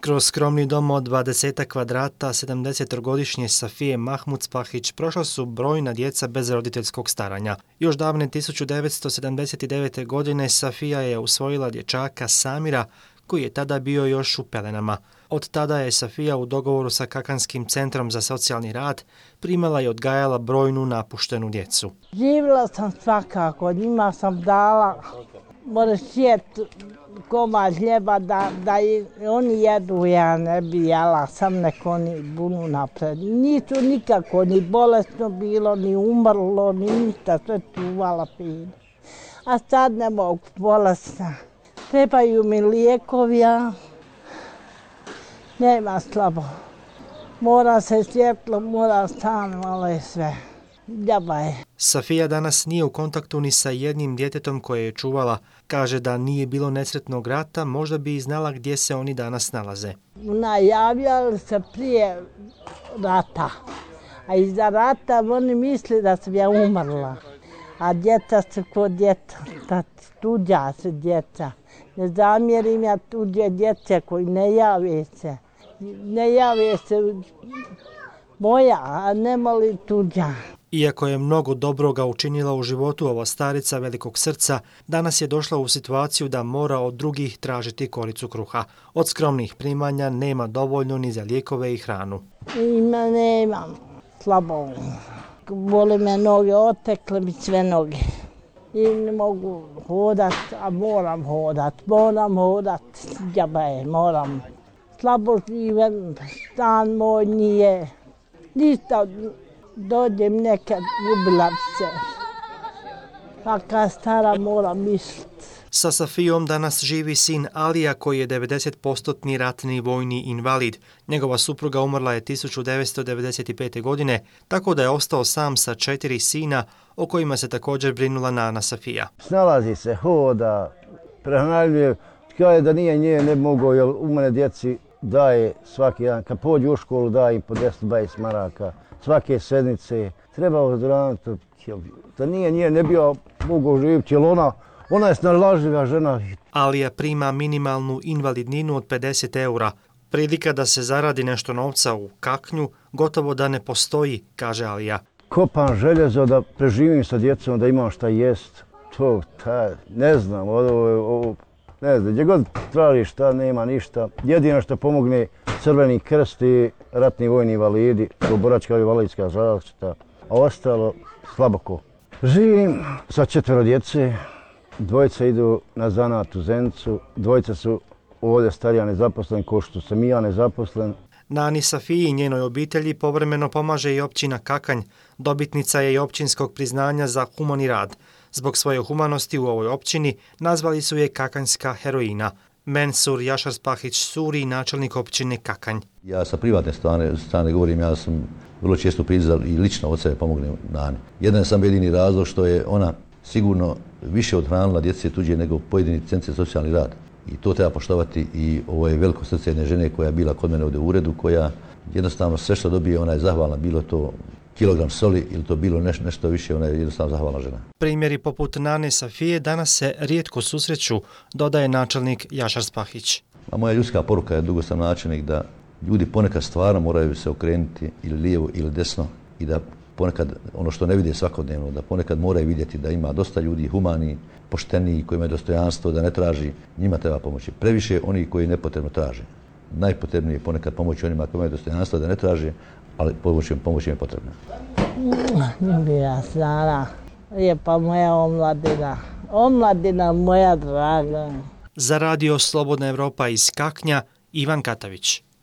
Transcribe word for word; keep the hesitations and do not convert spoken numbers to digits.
Kroz skromni dom od dvadeset kvadrata sedamdesetogodišnje Safije Mahmudspahić prošla su brojna djeca bez roditeljskog staranja. Još davne tisuću devetsto sedamdeset devete. godine Safija je usvojila dječaka Samira, koji je tada bio još u pelenama. Od tada je Safija u dogovoru sa Kakanskim centrom za socijalni rad primala i odgajala brojnu napuštenu djecu. Živjela sam svakako, njima sam dala, moraš sjeti komad hljeba da, da i oni jedu, ja ne bi jela, sam neko oni bunu napred. Nisu nikako ni bolesno bilo, ni umrlo, ni ništa, sve čuvala fino. A sad ne mogu bolesna. Trebaju mi lijekovi, a nema slabo. Mora se svjetlo, mora stan, malo je sve. Djaba je. Safija danas nije u kontaktu ni sa jednim djetetom koje je čuvala. Kaže da nije bilo nesretnog rata, možda bi i znala gdje se oni danas nalaze. Najavljali se prije rata, a iza rata oni misli da sam ja umrla. A djeca su kod djeca, tuđa se djeca. Ne zamjerim ja tuđe djece koji ne jave se. Ne jave se moja, a ne moli tuđa. Iako je mnogo dobroga učinila u životu, ova starica velikog srca danas je došla u situaciju da mora od drugih tražiti koricu kruha. Od skromnih primanja nema dovoljno ni za lijekove i hranu. Ima nemam, slabo. Boli me noge, otekle mi sve noge. I ne mogu hodat, a moram hodat, moram hodat, djaba je, moram. Slabo živem, stan moj nije, ništa. Dođem nekad, ljubila se. A kad stara moram misliti. Sa Safijom danas živi sin Alija koji je devedeset posto ratni vojni invalid. Njegova supruga umrla je tisuću devetsto devedeset pete. godine, tako da je ostao sam sa četiri sina o kojima se također brinula nana Safija. Snalazi se, hoda, prehranjuje. Kaže da nije nje ne mogu, jer u mene djeci daje svaki dan. Kad pođu u školu daje im po deset dvadeset maraka. Svake sedmice, treba ozdraviti, da nije nje ne bi mogu živjeti, jer ona, ona je snalažljiva žena. Alija prima minimalnu invalidninu od pedeset eura. Prilika da se zaradi nešto novca u Kaknju gotovo da ne postoji, kaže Alija. Kopam željezo da preživim sa djecom, da imam šta jest. To, ta, ne znam, ovo, ovo, ne znam, gdje god traži šta, nema ništa. Jedino što pomogne Crveni krst i ratni vojni invalidi, boračka i invalidska zaštita, a ostalo slaboko. Živim sa četvero djece, dvojica idu na zanat u Zenicu, dvojica su ovdje starija nezaposleni, ko što sam i ja nezaposlen. Nani Safiji i njenoj obitelji povremeno pomaže i općina Kakanj. Dobitnica je i općinskog priznanja za humani rad. Zbog svoje humanosti u ovoj općini nazvali su je kakanjska heroina. Mensur Jašarspahić Suri, načelnik općine Kakanj. Ja sa privatne strane, strane govorim, ja sam vrlo često prizal i lično od sebe pomognem Nani. Jedan sam jedini razlog što je ona sigurno više odhranila djece tuđe nego pojedini centri socijalni rad. I to treba poštovati i ovo je veliko srce jedne žene koja je bila kod mene ovdje u uredu, koja jednostavno sve što dobije ona je zahvalna, bilo to kilogram soli ili to bilo neš, nešto više, ona je jednostavno zahvalna žena. Primjeri poput nane Safije danas se rijetko susreću, dodaje načelnik Jašarspahić. A moja ljudska poruka je, dugo sam načelnik, da ljudi ponekad stvarno moraju se okrenuti ili lijevo ili desno i da ponekad ono što ne vide svakodnevno, da ponekad moraju vidjeti da ima dosta ljudi humani, pošteni, koji imaju dostojanstvo, da ne traži, njima treba pomoći. Previše oni koji nepotrebno traže. Najpotrebnije je ponekad pomoći onima koji imaju dostojanstvo, da ne traže, ali pomoć, pomoć im je potrebna. Ljubila Sara, lijepa moja omladina, omladina moja draga. Za radio Slobodna Evropa iz Kaknja, Ivan Katavić.